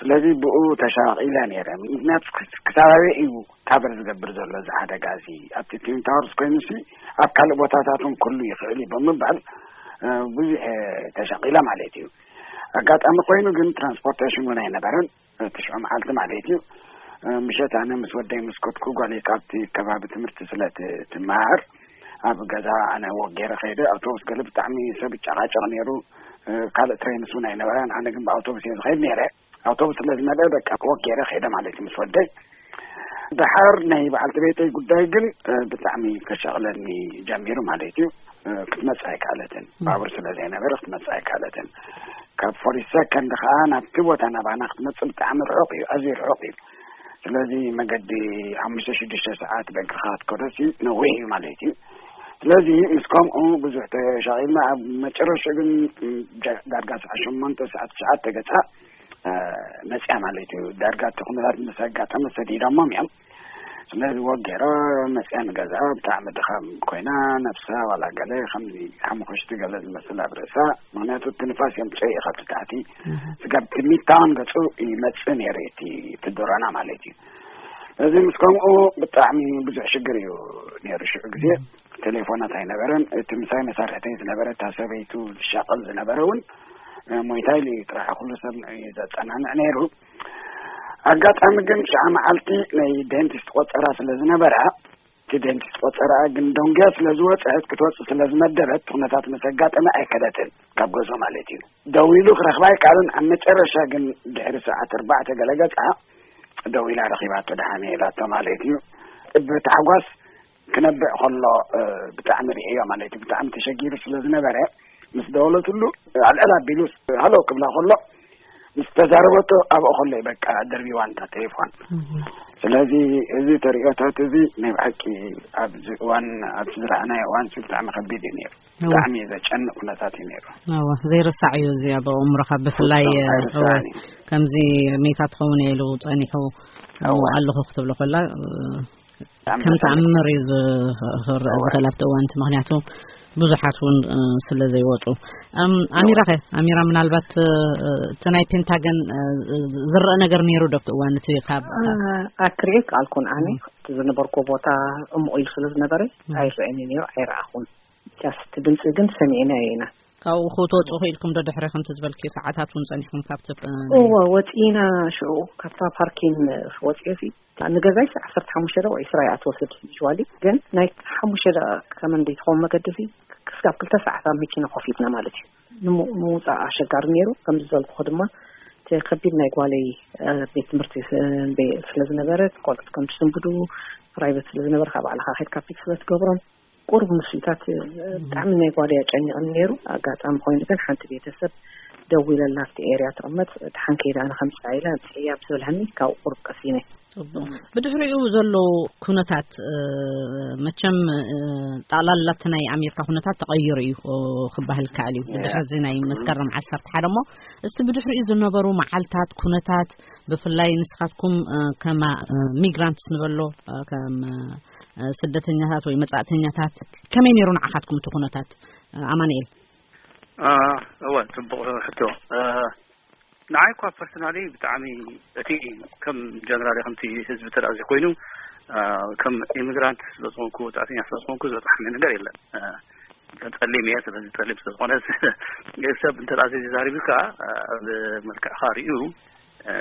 ስለዚ ብኡ ተሻቒለ ነይረ። ምክንያቱ ክስ-፣ ክሳብ ኣበይ እዩ ካቨር ዝገብር ዘሎ እዚ ሓደጋ እዚ? ኣብቲ ትዊን ታወርስ ኮይኑሲ ኣብ ካልእ ቦታታት እውን ክህሉ ይኽእል እዩ ብምባል፣ እ፣ ብዙሕ ተሻቒለ ማለት እዩ። ኣጋጣሚ ኮይኑ ግን ትራንስፖርቴሽን እውን ኣይነበረን። ትሽዑ መዓልቲ ማለት እዩ። እ፣ ምሸት ኣነ ምስ ወደይ ምስ ከድኩ፣ ጓለይ ካብቲ ከባቢ ትምህርቲ ስለ ት-፣ ትመሃር፣ ኣብ ገዛ ኣነ ወክ ገይረ ከይደ። ኣውቶቡስ ገለ ብጣዕሚ ሰብ ይጨቃጨቅ ነይሩ። እ፣ ካልእ ትሬንስ እውን ኣይነበረን። ኣነ ግን ብኣውቶቡስ እየ ዝኸይድ ነይረ። ኣውቶቡስ ስለ ዝመልአ በቃ ወክ ገይረ ከይደ ማለት እዩ ምስ ወደይ። ደሓር ናይ በዓልቲ ቤተይ ጉዳይ ግን፣ እ፣ ብጣዕሚ ከሻቕለኒ ጀሚሩ ማለት እዩ። እ፣ ክትመጽእ ኣይከኣለትን። ም። ባቡር ስለ ዘይነበረ ክትመጽእ ኣይከኣለትን። ካብ ፎርቲ ሰከንድ ከኣ ናብቲ ቦታ ናባና ክትመጽእ ብጣዕሚ ርሑቕ እዩ፣ ኣዝዩ ርሑቕ እዩ። ስለዚ መገዲ ሓሙሽተ ሽዱሽተ ሰዓት በእግርኻ ክትከዶሲ ነዊሕ እዩ ማለት እዩ። ስለዚ ምስ ከምኡ ብዙሕ ተሻቒልና ኣብ መጨረሻ ግን፣ ም፣ ጃ-፣ ዳርጋ ሰዓት ሸሞንተ ሰዓት ትሽዓተ ገጻ፣ እ፣ መጽያ ማለት እዩ። ዳርጋ እቲ ኩነታት ምስ ኣጋጠመ ሰዲዶሞም እዮም። ስለዚ ወክ ገይራ መጽያ ንገዝኣ። ብጣዕሚ ድኻም ኮይና፣ ነብሳ ዋላ ገለ ከምዚ ሓሙኽሽቲ ገለ ዝመስል ኣብ ርእሳ። ምኽንያቱ እቲ ንፋስ የምጽኦ እዩ ካብቲ ታሕቲ። እህ። ስጋብ እቲ ሚድታውን ገጹ ይመጽእ ነይሩ እቲ፣ እቲ ዶሮና ማለት እዩ። ስለዚ ምስ ከምኡ ብጣዕሚ ብዙሕ ሽግር እዩ ነይሩ ሽዑ ግዜ። እህ። ቴሌፎናት ኣይነበረን። እቲ ምሳይ መሳርሕተይ ዝነበረ፣ እታ ሰበይቱ ዝሻቐል ዝነበረ እውን፣ እ፣ ሞይታይል እዩ ጥራሕ ኩሉ ሰብ ንዕኡ እዩ ዘጸናንዕ ነይሩ። ኣጋጣሚ ግን ሽዓ መዓልቲ ናይ ዴንቲስት ቆጸራ ስለ ዝነበራ፣ እቲ ዴንቲስት ቆጸራ ግን ደንጉያ ስለ ዝወጸት፣ ክትወጽእ ስለ ዝመደበት፣ ኩነታት ምስ ኣጋጠመ ኣይከደትን፣ ካብ ገዝኡ ማለት እዩ። ደዊሉ ክረኽባ ኣይከኣለን። ኣብ መጨረሻ ግን ድሕሪ ሰዓት ኣርባዕተ ገለ ገጻ ደዊላ ረኺባቶ፣ ደሓነ ኢላቶ ማለት እዩ። ብታሕጓስ ክነብዕ ከሎ፣ እ፣ ብጣዕሚ ርኢዮ ማለት እዩ። ብጣዕሚ ተሸጊሩ ስለ ዝነበረ፣ ምስ ደወለትሉ ኣልዕል ኣቢሉ ሃሎ ክብላ ከሎ፣ ምስ ተዛረበቶ ኣብኡ ከሎ እዩ በቃ ደርቢዋ እንታ ቴሌፎን። እህ። ስለዚ እዚ ተርእዮታት እዚ ናይ ብሓቂ ኣብዚ እዋን፣ ኣብዚ ዝረኣናዮ እዋን ብጣዕሚ ከቢድ እዩ ነይሩ። እወ። ብጣዕሚ ዘጨንቕ ኩነታት እዩ ነይሩ። እወ፣ ዘይርሳዕ እዩ እዚ ኣብ ኣእምሮኻ ብፍላይ፣ ፍጹም ኣይርሳዕን እወ፣ እዩ። ከምዚ ሜታ ትኸውን እየ ኢሉ ጸኒሑ እወ። ኣለኹ ክትብሎ ከላ፣ እ፣ ብጣዕሚ ከም ዘሰንቕ። ተኣምር እዩ ዝ-፣ ክረአ እወ። ዝኽእል ኣብቲ እዋን እቲ፣ ምኽንያቱ ብዙሓት እውን፣ እ፣ ስለ ዘይወጹ። እም፣ እወ። ኣሚራ ኸ? ኣሚራ፣ ምናልባት፣ እ፣ እቲ ናይ ፔንታገን፣ እ፣ ዝረአ ነገር ነይሩ ዶ ኣብቲ እዋን እቲ ካብ ኣ-፣ ኣክርኤ ከኣልኩን ኣነ እም። እቲ ዝነበርኩ ቦታ እሙቕ ኢሉ ስለ ዝነበረ እም። ኣይረአኒ ነይሩ፣ ኣይረኣኹን። ጃስት ድምፂ ግን ሰሚዕና ኢና። ካብኡ ክትወፁ ክኢልኩም ዶ ድሕሪ ከምቲ ዝበልክዮ ሰዓታት እውን ፀኒሕኩም ካብቲ፣ እ፣ ናይ እወ፣ ወፂና ሽዑ ካብታ ፓርኪን ወፂኦሲ ንገዛይ ዓሰርተ ሓሙሽተ ደቂቕ ዒስራ እያ ትወስድ ዩዋሊ፣ ግን ናይ ሓሙሽተ ደቂቕ ከመን ዘይትኸውን መገዲ ሲ ክሳብ ክልተ ሰዓት ኣብ መኪና ኮፍ ኢልና ማለት እዩ። ንሙ-፣ ንምውፃእ ኣሸጋሪ ነይሩ። ከምዚ ዝበልኩኹ ድማ እቲ ከቢድ ናይ ጓለይ፣ እ፣ ቤት ትምህርቲ ስ-፣ ቤ-፣ ስለ ዝነበረ ቆልዑት ከም ትስንብዱ ፕራይቬት ስለ ዝነበረ ካብ ባዕልኻ ከድካ ፒክ ስለ ትገብሮም ቁሩብ ምስልታት፣ እ፣ ብጣዕሚ ናይ ጓለይ ኣጨኒቕኒ ነይሩ። ኣጋጣሚ ኮይኑ ግን ሓንቲ ቤተሰብ ደዊለላ ኣብቲ ኤርያ ትቕመጥ፣ ደሓን ከይዳ ኣነ ከምፅኣ ኢላ ኣምፅእያ ብዝበልሃኒ ካብኡ ቁሩብ ቀሲነ። ጽቡቕ። ብድሕሪኡ ዘሎ ኩነታት፣ እ፣ መቸም፣ እ፣ ጠቕላላ እቲ ናይ ኣሜሪካ ኩነታት ተቐይሩ እዩ፣ እ፣ ክበሃል ይከኣል እዩ። ብድሕሪ እዚ ናይ መስከረም ዓሰርተ ሓደ እሞ፣ እስቲ ብድሕሪኡ ዝነበሩ መዓልታት ኩነታት፣ ብፍላይ ንስኻትኩም፣ እ፣ ከማ፣ እ፣ ሚግራንትስ ንበሎ፣ እ፣ ከም፣ እ፣ ስደተኛታት ወይ መጻእተኛታት ከመይ ነይሩ ንዓኻትኩም እቲ ኩነታት፣ እ፣ ኣማኑኤል? እ፣ እወ፣ ጽቡቕ ሕቶ። እ፣ ንዓይ እኳ ፐርሰናሊ ብጣዕሚ እቲ ከም ጀነራል ከምቲ ህዝቢ ተዳዚ ኮይኑ፣ እ፣ ከም ኢሚግራንት ስለ ዝኾንኩ፣ ወጻእተኛ ስለ ዝኾንኩ ዝበጽሓኒ ነገር የለን። እ፣ ጸሊም እየ፣ ስለዚ ጸሊም ስለ ዝኾነ ሰብ እንተ ደኣ ዘይዛሪብካ፣ እ፣ ኣብ መልክዕኻ ርእዩ፣ እ፣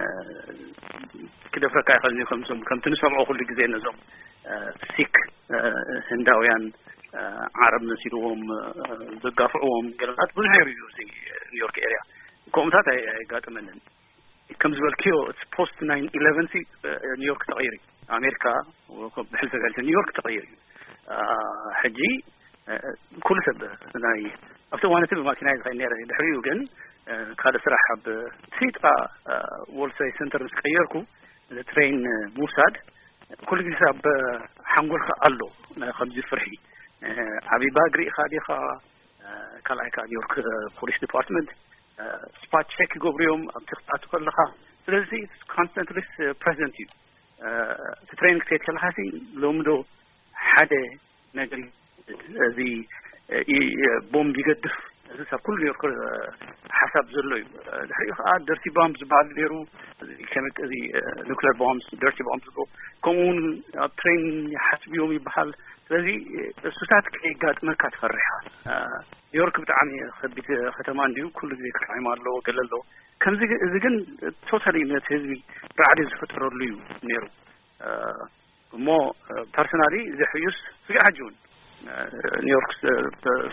ክደፍረካ ይኽእል እዩ። ከምዞም፣ ከምቲ ንሰምዖ ኩሉ ግዜ ነዞም፣ እ፣ ሲክ፣ እ፣ ህንዳውያን፣ እ፣ ዓረብ መሲልዎም፣ እ፣ ዘጋፍዕዎም ገለታት ብዙሕ ነይሩ እዩ እዚ ኒውዮርክ ኤርያ። ከምኡታት ኣይ-፣ ኣይጋጥመንን። ከም ዝበልክዮ፣ እቲ ፖስት ናይን ኢለቨን ሲ፣ እ፣ ኒውዮርክ ተቐይሩ እዩ። ኣሜሪካ፣ ብሕልፊ ፈልሲ ኒውዮርክ ተቐይሩ እዩ። እ፣ ሕጂ፣ እ፣ ኩሉ ሰብ ናይ፣ ኣብቲ እዋን እቲ ብማኪና እየ ዝኸይድ ነይረ። ድሕሪኡ ግን፣ እ፣ ካልእ ስራሕ ኣብ ፊጣ፣ እ፣ ወርልድ ትሬድ ሰንተር ምስ ቀየርኩ፣ ትሬን ምውሳድ ኩሉ ግዜ ኣብ ሓንጎልካ ኣሎ፣ ናይ ከምዚ ፍርሒ። ዓብይ ባግ ርኢኻ ዲኻ? ካልኣይ ከዓ ኒውዮርክ ፖሊስ ዲፓርትመንት ስፓት ቸክ ይገብሩ እዮም ኣብቲ ክትኣቱ ከለኻ። ስለዚ ኮንስተንትሊ ፕሬዘንት እዩ። እቲ ትሬን ክትሄድ ከለኻ ሲ ሎሚ ዶ ሓደ ነገር እዚ ቦምብ ይገድፍ? እዚ ሰብ ኩሉ ኒውዮርክ ሓሳብ ዘሎ እዩ። ድሕሪኡ ከዓ ደርቲ ባምብ ዝበሃል ነይሩ። እዚ ኑክሌር ቦምብ፣ ደርቲ ቦምብ ዝብሎ፣ ከምኡ እውን ኣብ ትሬን ይሓስብ እዮም ይበሃል። ስለዚ እሱታት ከየጋጥመካ ትፈርሕ ኢኻ። ኒውዮርክ ብጣዕሚ ከቢድ ከተማ እንድዩ፣ ኩሉ ግዜ ክራይም ኣለዎ፣ ገለ ኣለዎ። ከምዚ እዚ ግን ቶታሊ ነቲ ህዝቢ ራዕዲ ዝፈጠረሉ እዩ ነይሩ። እሞ ፐርሰናሊ ዘሕዩስ ስጋዕ ሕጂ እውን ኒውዮርክ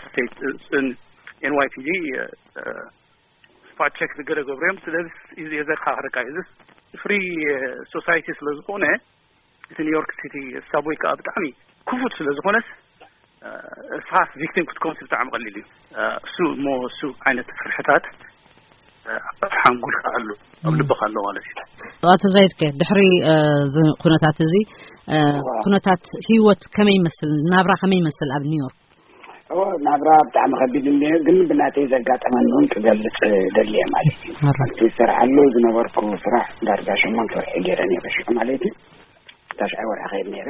ስቴት ኤንዋይፒዲ ስፓት ቸክ ዝገለ ገብሩ እዮም። ስለዚ እዚ የዘካኽረካ እዩ። እዚ ፍሪ ሶሳይቲ ስለ ዝኾነ፣ እቲ ኒውዮርክ ሲቲ ሳብወይ ከዓ ብጣዕሚ ክፉት ስለ ዝኾነስ እስኻ ቪክቲም ክትኮንስ ብጣዕሚ ቀሊል እዩ። እሱ እሞ እሱ ዓይነት ፍርሕታት ኣብ ሓንጎልካ ኣሎ፣ ኣብ ልብኻ ኣሎ ማለት እዩ። ኣቶ ዛይድከ ድሕሪ ኩነታት እዚ ኩነታት ህይወት ከመይ ይመስል? ናብራ ከመይ ይመስል ኣብ ኒውዮርክ? ናብራ ብጣዕሚ ከቢድ እንደ ግን ብናተይ ዘጋጠመኒ እውን ክገልፅ ደልየ ማለት እዩ። ኣብቲ ዝሰርሓሉ ዝነበርኩ ስራሕ ዳርጋ ሸሞንተ ወርሒ ገይረ ነይረ ሽዑ ማለት እዩ። ታሽዓይ ወርሒ ከይድ ነይረ።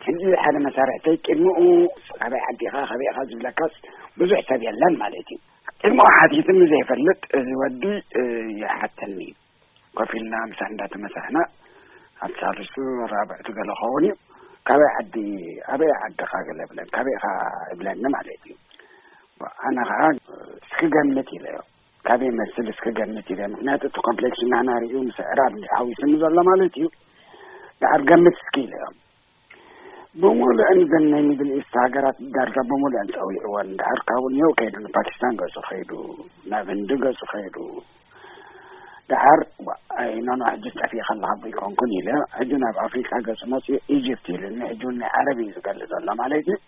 ሕጂ ሓደ መሳርሕተይ ቅድሚኡ ካበይ ዓዲኻ ካበይ ኢኻ ዝብለካስ ብዙሕ ሰብ የለን ማለት እዩ። ቅድሚኡ ሓቲትኒ ዘይፈልጥ እዚ ወዲ ይሓተኒ እዩ። ኮፍ ኢልና ምሳሕ እንዳተመሳሕና ኣብ ሳልስቱ ራብዕቱ ገለ ኸውን እዩ። ካበይ ዓዲ ኣበይ ዓድኻ ገለ ብለን ካበይ ኢኻ ይብለኒ ማለት እዩ። ኣነ ከዓ እስኪ ገምት ኢለዮ። ካበይ መስል እስኪ ገምት ኢለ ምክንያቱ እቲ ኮምፕሌክስ ናና ሪኡ ምስ ዕራብ ሓዊስኒ ዘሎ ማለት እዩ። ደሓር ገምት እስኪ ኢለዮም። ብሙሉእን ዘን ናይ ሚድል ኢስት ሃገራት ዳርጋ ብሙሉእን ፀዊዕወን። ደሓር ካብኡ ኒው ከይዱ ንፓኪስታን ገፁ ከይዱ፣ ናብ ህንዲ ገፁ ከይዱ። ደሓር ኣይኖኖ ሕጂ ጠፊእ ከለካ ኣይኮንኩን ኢለ ሕጂ ናብ ኣፍሪካ ገፁ መፅኡ ኢጅፕት ኢሉኒ። ሕጂ እውን ናይ ዓረብ እዩ ዝገልፅ ዘሎ ማለት እዩ።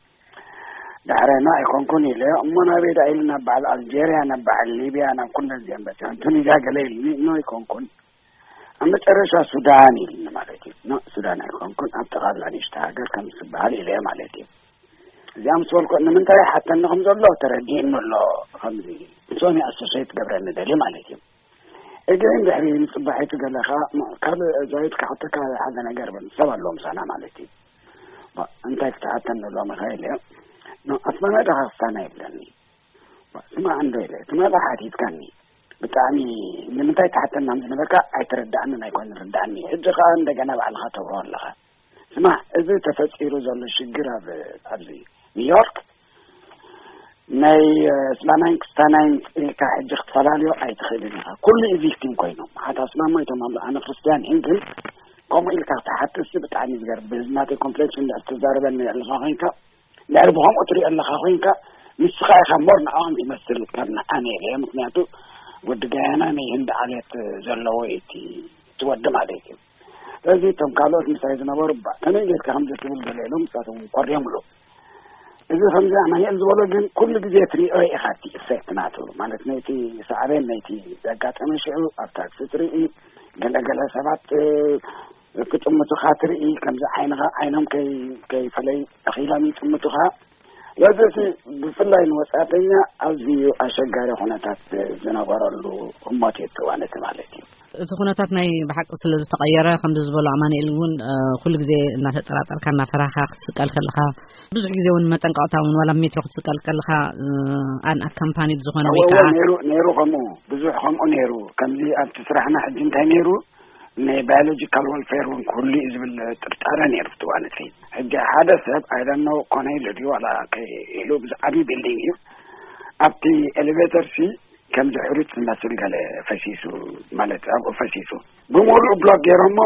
ዳሕረና ኣይኮንኩን ኢለ እሞ ናበይ ዳ ኢሉ ናብ በዓል ኣልጀርያ ናብ በዓል ሊብያ ናብ ኩለን እዚኦም በፂሖም ቱኒዝያ ገለ ኢሉኒ። ኖ ኣይኮንኩን ኣብ መጨረሻ ሱዳን ኢሉኒ ማለት እዩ። ኖ ሱዳን ኣይኮንኩን ኣብ ጠቓላ ንእሽተ ሃገር ከም ዝበሃል ኢለ ማለት እዩ። እዚኣ ምስ በልኩ ንምንታይ ሓተኒ ከም ዘሎ ተረዲእኒ ኣሎ። ከምዚ ንሶም ኣሶሴት ገብረኒ ደልዩ ማለት እዩ። እግን ድሕሪ ንፅባሒቱ ገለ ከዓ ካልእ ዛይድ ክሓተካ ሓደ ነገር በል ሰብ ኣለዎ ምሳና ማለት እዩ። እንታይ ክትሓተኒ ሎሚ ኢለ ኣስመራ ዳኻ ክሳና ይብለኒ። ስማዕ እንዶ ኢለ እቲ መርዓ ሓቲትካኒ ብጣዕሚ ንምንታይ ትሓተና ዝነበርካ ኣይተረዳእንን ኣይኮን ርዳእኒ። ሕጂ ከዓ እንደገና ባዕልካ ተብሮ ኣለኻ። ስማዕ እዚ ተፈጢሩ ዘሎ ሽግር ኣብ ኣብዚ ኒውዮርክ ናይ ስላናይን ክስታናይን ኢልካ ሕጂ ክትፈላለዮ ኣይትኽእልን ኢኻ። ኩሉ ኢቪክቲም ኮይኖም ሓታ ስላም ሞይቶም ኣሎ ኣነ ክርስትያን ኢን ግን ከምኡ ኢልካ ክትሓትሲ ብጣዕሚ ዝገርም ብህዝናተይ ኮምፕሌክስ እንድሕር ትዛረበኒ ኣለኻ ኮይንካ እንድሕር ብኸምኡ ትሪኦ ኣለኻ ኮይንካ ንስኻ ኢኻ ሞር ንዕኦም ትመስል ካብ ንዓነ ኢለ ምክንያቱ ወዲ ጋያና ናይ ህንዲ ዓሌት ዘለዎ እዩ እቲ እቲ ወዲ ማለት እዩ። ስለዚ እቶም ካልኦት ምሳይ ዝነበሩ ባ ከመይ ጌርካ ከምዚ ትብል ገለ ኢሎም ንሳቶም ኮርዮምሉ። እዚ ከምዚ ኣማኒኤል ዝበሎ ግን ኩሉ ግዜ ትሪኦ ኢኻ እቲ ኢፌክት ናቱ ማለት ነይቲ ሳዕቤን ነይቲ ዘጋጠመ ሽዑ ኣብ ታክሲ ትርኢ ገለገለ ሰባት ክጥምቱኻ ትርኢ ከምዚ ዓይንኻ ዓይኖም ከይፈለይ ተኺሎም ይጥምቱኻ። ስለዚ እቲ ብፍላይ ንወፃእተኛ ኣዝዩ ኣሸጋሪ ኩነታት ዝነበረሉ ህሞት እዩ እቲ እዋን እቲ ማለት እዩ። እቲ ኩነታት ናይ ብሓቂ ስለ ዝተቐየረ ከምዚ ዝበሎ ኣማኒኤል እውን ኩሉ ግዜ እናተጠራጠርካ እናፈራኻ ክትስቀል ከለኻ ብዙሕ ግዜ እውን መጠንቀቕታ እውን ዋላ ሜትሮ ክትስቀል ከለኻ ኣን ኣካምፓኒድ ዝኾነ ወይ ከዓ ነይሩ ነይሩ ከምኡ ብዙሕ ከምኡ ነይሩ ከምዚ ኣብቲ ስራሕና ሕጂ እንታይ ነይሩ ናይ ባዮሎጂካል ወልፌር እውን ክህሉ እዩ ዝብል ጥርጣረ ነይሩ እቲ እዋን እቲ ሕጂ ሓደ ሰብ ኣይደኖ ኮነ ኢሉ ድዩ ዋላ ኢሉ ብዛዕባ ቢልዲንግ እዩ ኣብቲ ኤሌቬተር ሲ ከምዚ ሕሩጭ ዝመስል ገለ ፈሲሱ ማለት ኣብኡ ፈሲሱ ብምሉእ ብሎክ ገይሮሞ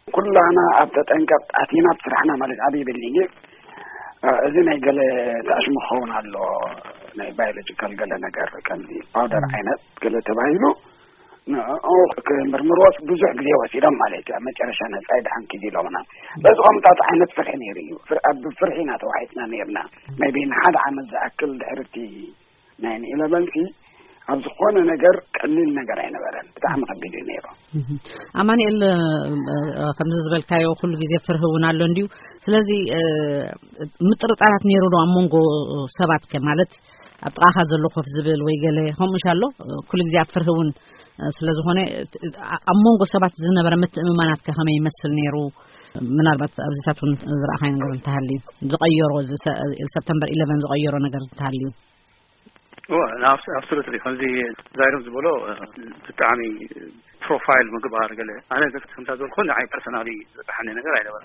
ኩላና ኣብ ተጠንቀቕ ኣቲና ኣብ ስራሕና ማለት ዓብዪ ቢልዲንግ እዩ እዚ ናይ ገለ ተኣሽሙ ክኸውን ኣሎ ናይ ባዮሎጂካል ገለ ነገር ከምዚ ፓውደር ዓይነት ገለ ተባሂሉ ንኡ ክምርምርዎ ብዙሕ ግዜ ወሲዶም ማለት እዩ ኣብ መጨረሻ ነፃ ድሓን ኪዚ ኢሎምና በዚ ከምታት ዓይነት ፍርሒ ነይሩ እዩ ኣብ ፍርሒ ኢና ተዋሒጥና ነይርና maybe ንሓደ ዓመት ዝኣክል ድሕርቲ ናይ ኢለቨን ሲ ኣብ ዝኾነ ነገር ቀሊል ነገር ኣይነበረን። ብጣዕሚ ከቢድ እዩ ነይሩ። ኣማኑኤል፣ ከምዚ ዝበልካዮ ኩሉ ግዜ ፍርህ እውን ኣሎ እንድዩ። ስለዚ ምጥርጣራት ነይሩ ዶ ኣብ መንጎ ሰባት ከ ማለት ኣብ ጥቓኻ ዘሎ ኮፍ ዝብል ወይ ገለ ከምኡ ኣሎ? ኩሉ ግዜ ኣብ ፍርህ እውን ስለዝኾነ ኣብ መንጎ ሰባት ዝነበረ ምትእምማናት ከ ከመይ ይመስል ነይሩ? ምናልባት ኣብዚታት እውን ዝረኣኻይ ነገር እንተሃልዩ፣ ዝቐየሮ፣ እዚ ሰ- ሰፕተምበር ኢለቨን ዝቐየሮ ነገር እንተሃልዩ። ኣብሶሉትሊ ከምዚ ዛይሮም ዝበሎ ብጣዕሚ ፕሮፋይል ምግባር ገለ ኣነ ከምታ ዝበልኩ ንዓይ ፐርሰናሊ ዝበሓኒ ነገር ኣይነበረ።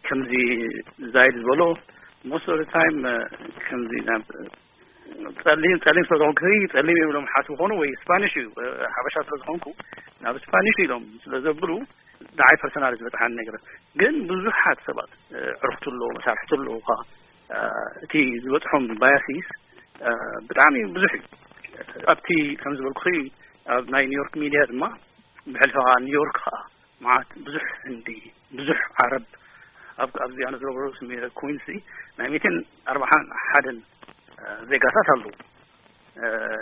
ከምዚ ዛይድ ዝበሎ most of the time ከምዚ ናብ ጸሊም ጸሊም ስለዝኾንኩ ጸሊም እዮም ኢሎም ሓስቡ ኾኑ ወይ ስፓኒሽ እዩ ሓበሻ ስለዝኾንኩ ናብ ስፓኒሽ ኢሎም ስለዘብሉ ንዓይ ፐርሰናል ዝበፅሓኒ ነገር ግን ብዙሓት ሰባት ዕርፍቱ ኣሎ መሳርሕቱ ኣለዉ እቲ ዝበፅሖም ባያሲስ ብጣዕሚ ብዙሕ እዩ። ኣብቲ ከም ዝበልኩ ኣብ ናይ ኒውዮርክ ሚድያ ድማ ብሕልፊ ከዓ ኒውዮርክ ከዓ መዓት ብዙሕ ህንዲ ብዙሕ ዓረብ ኣብ ኣብዚ ኣነ ዝረብሮ ኩንሲ ናይ ሚትን ኣርባዓን ሓደን ዜጋታት ኣለዉ።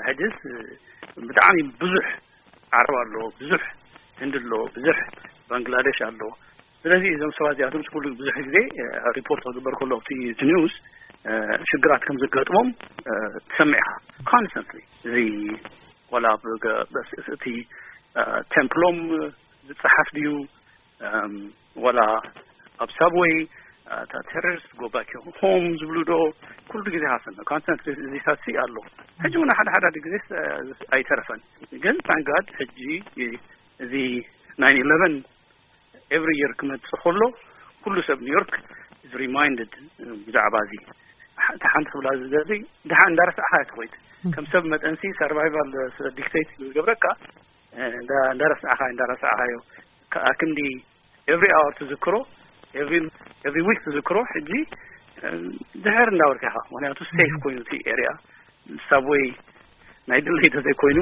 ሕጅስ ብጣዕሚ ብዙሕ ዓረብ ኣሎ፣ ብዙሕ ህንዲ ኣሎ፣ ብዙሕ ባንግላደሽ ኣሎ። ስለዚ እዞም ሰባት እዚኣቶም ኩሉ ብዙሕ ግዜ ሪፖርት ክግበር ከሎ ኣብቲ እቲ ኒውስ ሽግራት ከም ዘጋጥሞም ትሰምዕ ኢኻ ኮንስተንትሊ። እዚ ዋላ እቲ ቴምፕሎም ዝፀሓፍ ድዩ ዋላ ኣብ ሳብወይ እታ ቴሮሪስት ጎባኪ ሆም ዝብሉ ዶ ኩሉ ግዜ ሃሰን ኮንስተንት እዚታት ኣሎ። ሕጂ እውን ሓደ ሓደ ግዜ ኣይተረፈን። ግን ታንጋድ ሕጂ እዚ ናይን ኢለቨን ኤቭሪ የር ክመፅእ ከሎ ኩሉ ሰብ ኒውዮርክ is reminded ብዛዕባ እዚ። እቲ ሓንቲ ክብላ ዝደሊ ድሓ እንዳረሳዕካ ትኮይት ከም ሰብ መጠንሲ ሰርቫይቫል ስለ ዲክቴት ዝገብረካ እንዳረሳዕካ እንዳረሳዕካዮ ከኣ ክንዲ ኤቭሪ ኣወር ትዝክሮ ኤቭሪ ዊክ ትዝክሮ። ሕጂ ድሕር እንዳበልካ ኢኻ ምክንያቱ ሴፍ ኮይኑ እቲ ኤሪያ ሳብወይ ናይ ድለይ ተዘይኮይኑ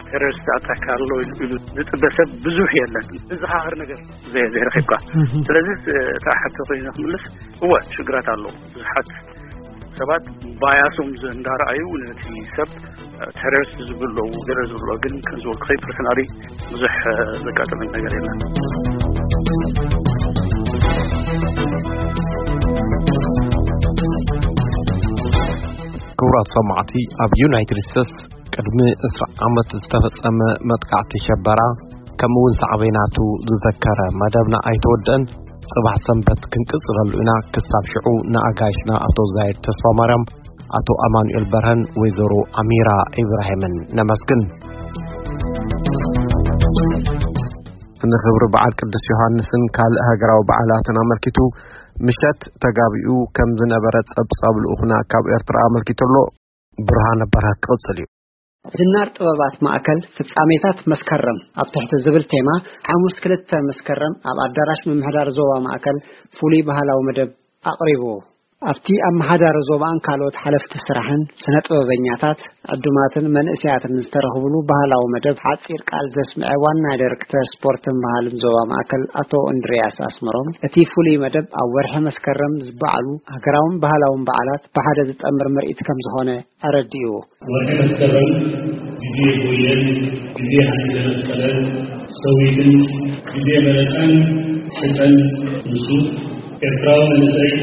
ቴሮሪስት ኣታክ ኣሎ ኢሉ ዝጥበ ሰብ ብዙሕ የለን። ዝዘኻኽር ነገር ዘይረኺብካ። ስለዚ እታ ሕቶ ኮይኑ ክምልስ እወ ሽግራት ኣሎ። ብዙሓት ሰባት ባያሶም እንዳረኣዩ ነቲ ሰብ ቴሮሪስት ዝብሉ ኣለዉ ገለ ዝብሉ ግን ከም ዝበልኩ ኸይ ፐርሰናሊ ብዙሕ ዘጋጠመ ነገር የለን። ክቡራት ሰማዕቲ ኣብ ዩናይትድ ስቴትስ ቅድሚ ዕስራ ዓመት ዝተፈጸመ መጥቃዕቲ ሸበራ ከምኡ እውን ሳዕቤናቱ ዝዘከረ መደብና ኣይተወደአን። ጽባሕ ሰንበት ክንቅጽለሉ ኢና። ክሳብ ሽዑ ንኣጋይሽና ኣቶ ዛይድ ተስፋ ማርያም፣ ኣቶ ኣማኑኤል በርሀን ወይዘሮ ኣሚራ ኢብራሂምን ነመስግን። ንኽብሪ በዓል ቅዱስ ዮሃንስን ካልእ ሃገራዊ በዓላትን ኣመልኪቱ ምሸት ተጋቢኡ ከም ዝነበረ ጸብጻብ ልኡኽና ካብ ኤርትራ ኣመልኪቱ ኣሎ። ብርሃነ በርሀ ክቕጽል እዩ። ዝናር ጥበባት ማእከል ፍጻሜታት መስከረም ኣብ ትሕቲ ዝብል ቴማ ሓሙስ ክልተ መስከረም ኣብ ኣዳራሽ ምምሕዳር ዞባ ማእከል ፍሉይ ባህላዊ መደብ ኣቕሪቡ። ኣብቲ ኣመሓዳሪ ዞባን ካልኦት ሓለፍቲ ስራሕን ስነ ጥበበኛታት ዕዱማትን መንእሰያትን ዝተረኽብሉ ባህላዊ መደብ ሓጺር ቃል ዘስምዐ ዋና ዳይሬክተር ስፖርትን ባህልን ዞባ ማእከል ኣቶ እንድርያስ ኣስመሮም እቲ ፍሉይ መደብ ኣብ ወርሒ መስከረም ዝበዓሉ ሃገራውን ባህላውን በዓላት ብሓደ ዝጠምር ምርኢት ከም ዝኾነ ኣረዲኡ። ወርሒ መስከረም ግዜ ጎየን ግዜ ሃይለ መስቀለን ሰዊትን ግዜ መረፃን ሕፀን ንሱ ኤርትራዊ መንእሰይ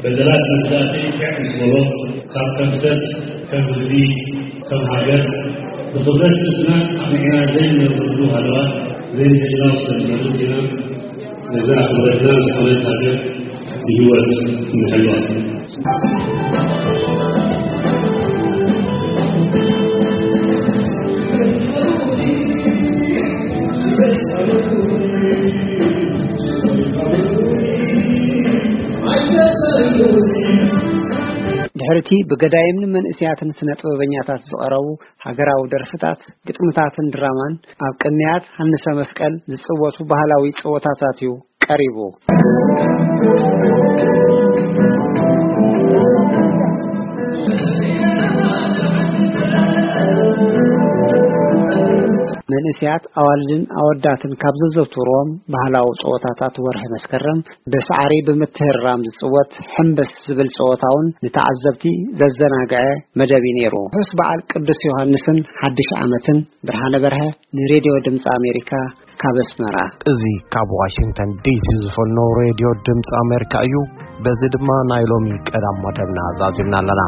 በደላት መግዛእቲ ሕዕ ምስ በሎ ካብ ከም ሰብ ከም ህዝቢ ከም ሃገር ብኽብረት ርእስና ኣቕኒዕና ዘይንነብረሉ ሃለዋት ዘይንህልናው ስለ ዝመርጽ ኢና። ነዛ ክብረትና ዝኾነት ሃገር ብህይወት ንሕልዋ። ድሕርቲ ብገዳይምን መንእስያትን ስነ ጥበበኛታት ዝቐረቡ ሃገራዊ ደርፍታት፣ ግጥምታትን ድራማን ኣብ ቅንያት ሃንሰ መስቀል ዝጽወቱ ባህላዊ ጸወታታት እዩ ቀሪቡ። መንእሰያት ኣዋልድን ኣወዳትን ካብ ዘዘውትርዎም ባህላዊ ጸወታታት ወርሒ መስከረም ብሳዕሪ ብምትህርራም ዝጽወት ሕምብስ ዝብል ጸወታ እውን ንተዓዘብቲ ዘዘናግዐ መደብ እዩ ነይሩ። ርሑስ በዓል ቅዱስ ዮሃንስን ሓድሽ ዓመትን። ብርሃነ በርሀ ንሬድዮ ድምፂ ኣሜሪካ ካብ ኣስመራ። እዚ ካብ ዋሽንግተን ዲሲ ዝፈልኖ ሬድዮ ድምፂ ኣሜሪካ እዩ። በዚ ድማ ናይ ሎሚ ቀዳም መደብና ዛዚምና ኣለና።